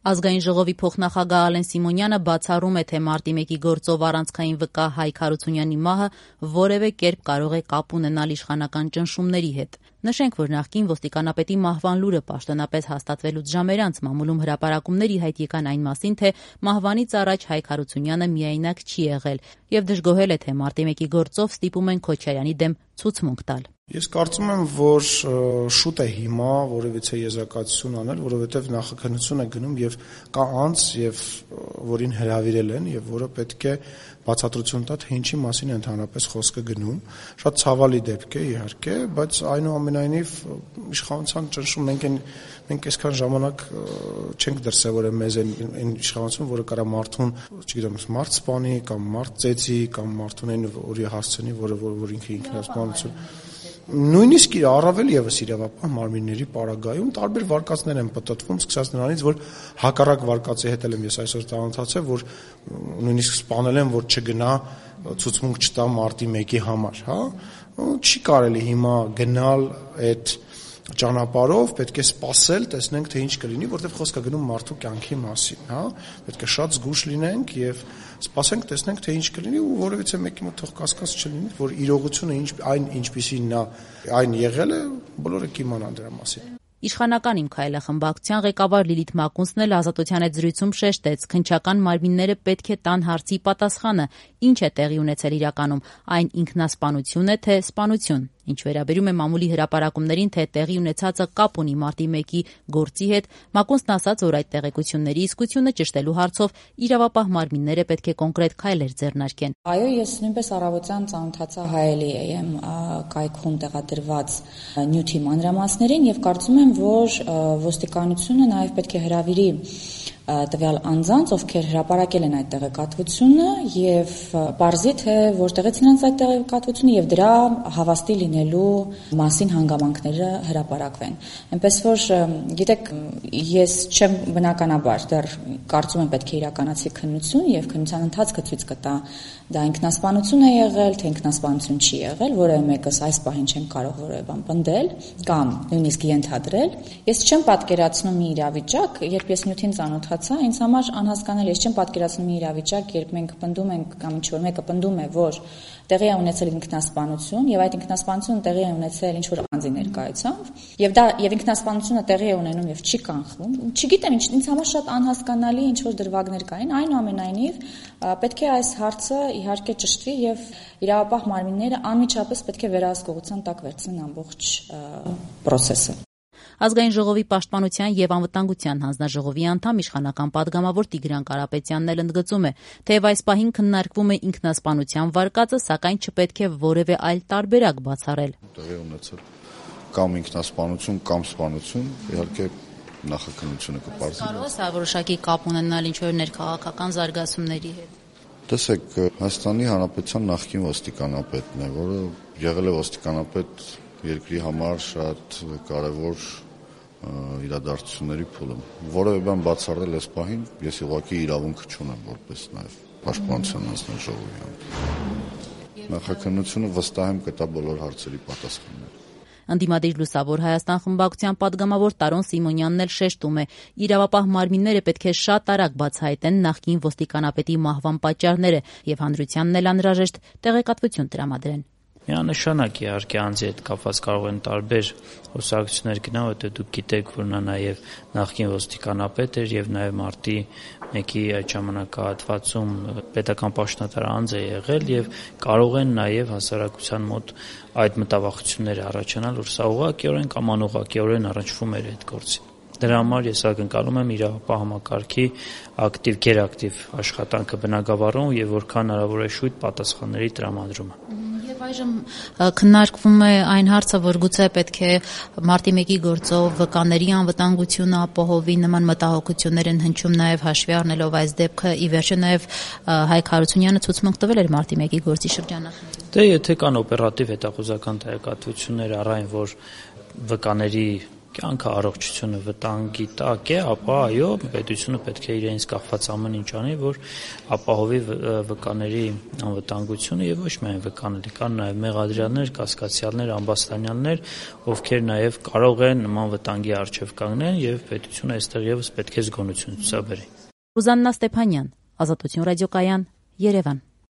Ազգային ժողովի փոխնախագահ Ալեն Սիմոնյանը բացառում է, թե մարտի 1-ի գործով առանցքային վկա Հայկ Հարությունյանի մահը որևէ կերպ կարող է կապ ունենալ իշխանական ճնշումների հետ։ Նշենք, որ նախկին ոստիկանապետի մահվան լուրը պաշտոնապես հաստատվելուց ժամեր անց մամուլում հրապարակումներ ի հայտ եկան այն մասին, թե մահվանից առաջ Հայկ Հարությունյանը միայնակ չի եղել եւ դժգոհել է, թե մարտի 1-ի գործով ստիպում են Քոչարյանի դեմ ցուցմունք տալ։ Ես կարծում եմ, որ շուտ է հիմա որևիցե եզրակացություն անել, որովհետև նախաքննություն է գնում եւ կա անձ, եւ որին հրավիրել են եւ որը պետք է բացատրություն տա, թե ինչի մասին է ընդհանրապես խոսքը գնում։ Շատ ցավալի դեպք է, իհարկե, բայց այնուամենայնիվ իշխանության ճնշում մենք այսքան ժամանակ չենք դրսևորել մեզ այն իշխանություն, որը կարա մարդուն, չգիտեմ, մարդ սպանի կամ մարդ ծեծի կամ մարդուն այն որի հասցնի, որ ինքը ինքնասպանություն նույնիսկ առավել եւս իրավապահ մարմինների պարագայում տարբեր վարկածներ են պատտվում, սկսած նրանից, որ հակառակ վարկածի հետ եմ ես այսօր ծանոթացել, որ նույնիսկ սպանել են, որ չգնա ցուցմունք չտա մարտի 1-ի համար, հա, չի կարելի հիմա գնալ այդ ճանապարհով, պետք է սպասել, տեսնենք թե ինչ կլինի, որտեղ խոսքը գնում մարդու կյանքի մասին, հա, պետք է շատ զգույշ լինենք եւ սպասենք, տեսնենք թե ինչ կլինի ու որևիցե մեկի մոտ թող կասկած չլինի, որ իրողությունը ինչպիսին այն եղել է, բոլորը կիմանան դրա մասին։ Իշխանական Իմ քայլը խմբակցության ղեկավար Լիլիթ Մակունցն էլ Ազատության հետ զրույցում շեշտեց, քննչական մարմինները պետք է տան հարցի պատասխանը, ինչ է տեղի ունեցել իրականում, այն ինքնասպանություն է, թե սպանություն։ Ինչ վերաբերում է մամուլի հրապարակումներին, թե տեղի ունեցածը կապ ունի մարտի 1-ի գործի հետ, Մակունցն ասաց, որ այդ տեղեկությունների իսկությունը ճշտելու հարցով իրավապահ մարմինները պետք է կոնկրետ քայլեր ձեռնարկեն։ Այո, ես նույնպես առավոտյան ծանոթացա Հայելի AM կայքում տեղադրված նյութի մանրամասներին եւ կարծում եմ, որ ոստիկանությունը նաեւ պետք է հրավիրի տվյալ անձանց, ովքեր հրապարակել են այդ տեղեկատվությունը եւ պարզի թե որտեղից նրանց այդ տեղեկատվությունը եւ դրա հավաստի լինելու մասին հանգամանքները հրապարակվեն։ Այնպես որ գիտեք, ես չեմ բնականաբար դեռ կարծում եմ պետք է իրականացի քննություն եւ քննության ընթացքը ցույց կտա դա ինքնասպանություն է եղել, թե ինքնասպանություն չի եղել, որևէ մեկս այս պահին չեմ կարող որևէ բան պնդել կամ նույնիսկ ենթադրել։ Ես չեմ պատկերացնում մի իրավիճակ, երբ ես նյութին ծանոթացա, ինձ համար անհասկանալի է, ես չեմ պատկերացնում մի իրավիճակ, երբ մենք պնդում ենք կամ ինչ-որ մեկը պնդում է, որ տեղի է ունեցել ինքնասպանություն եւ այդ ինքնասպանությունը տեղի է ունեցել ինչ-որ անձի ներկայությամբ եւ ինքնասպանությունը տեղի է ունենում եւ չի կանխվում։ Չգիտեմ, ինձ համար շատ անհասկանալի ինչ-որ դրվագներ կային, այնուամենայնիվ պետք է այս հարցը իհարկե ճշտվի եւ իրավապահ մարմինները անմիջապես պետք է վերահսկողության տակ վերցնեն ամբողջ process-ը։ Ազգային ժողովի պաշտպանության եւ անվտանգության հանձնաժողովի անդամ իշխանական падգամավոր Տիգրան Կարապետյանն էլ ընդգծում է, թեև այս պահին քննարկվում է ինքնասպանության վարկածը, սակայն չպետք է որևէ այլ տարբերակ բացառել։ Տեղի ունեցել կամ ինքնասպանություն կամ սպանություն, իհարկե նախաքննությունը կպարզի։ Կարող է սա որոշակի կապ ունենալ ինչ-որ ներքաղաքական զարգացումների հետ։ Տեսեք, Հայաստանի Հանրապետության նախկին ոստիկանապետն է, որը եղել է ոստիկանապետ երկրի համար շատ կարևոր իրադարձությունների փուլում։ Որևէ բան բացառել այս պահին, ես ուղղակի իրավունք չունեմ որպես նաև պաշտպանության հանձնաժողովի։ Նախաքննությունը վստահ եմ կտա բոլոր հարցերի պատասխաններ։ Ընդդիմադիր Լուսավոր Հայաստան խմբակցության падգամավոր Տարոն Սիմոնյանն էլ շեշտում է, իրավապահ մարմինները պետք է շատ արագ բացահայտեն նախկին ոստիկանապետի մահվան պատճառները եւ հանրությանն էլ անհրաժեշտ տեղեկատվություն տրամադրեն։ Միանշանակ իհարկե անձի հետ կապված կարող են տարբեր խոսակցություններ գնալ, որտեղ դուք գիտեք, որ նա նաև նախկին ոստիկանապետ էր եւ նաև մարտի 1-ի այդ ժամանակահատվածում պետական պաշտոնատար անձ է եղել եւ կարող են նաև հասարակության մոտ այդ մտավախությունները առաջանալ, որ սա ուղղակիորեն կամ անուղղակիորեն առնչվում էր այդ գործին։ Դրա համար ես ակնկալում եմ իրավապահ համակարգի ակտիվ, գերակտիվ աշխատանքը բնագավառում եւ որքան հնարավոր է շուտ պատասխանների տրամադրումը։ Եվ այժմ քննարկվում է այն հարցը, որ գուցե պետք է մարտի 1-ի գործով վկաների անվտանգությունը ապահովի, նման մտահոգություններ են հնչում նաև հաշվի առնելով այս դեպքը, ի վերջո նաև Հայկ Հարությունյանը ցուցմունք տվել էր մարտի 1-ի գործի շրջանակներում։ Դե եթե կան օպերատիվ հետախուզական տեղեկատվություններ առ այն, որ վկաների կյանքը, առողջությունը վտանգի տակ է, ապա այո, պետությունը պետք է իրենից կախված ամեն ինչ անի, որ ապահովի վկաների անվտանգությունը եւ ոչ միայն վկաների, կան նաեւ մեղադրյալներ, կասկածյալներ, ամբաստանյալներ, ովքեր նաեւ կարող են նման վտանգի առջեւ կանգնեն եւ պետությունը այստեղ եւս պետք է զգոնություն ցուցաբերի։ Ռուզաննա Ստեփանյան, Ազատություն ռադիոկայան, Երևան։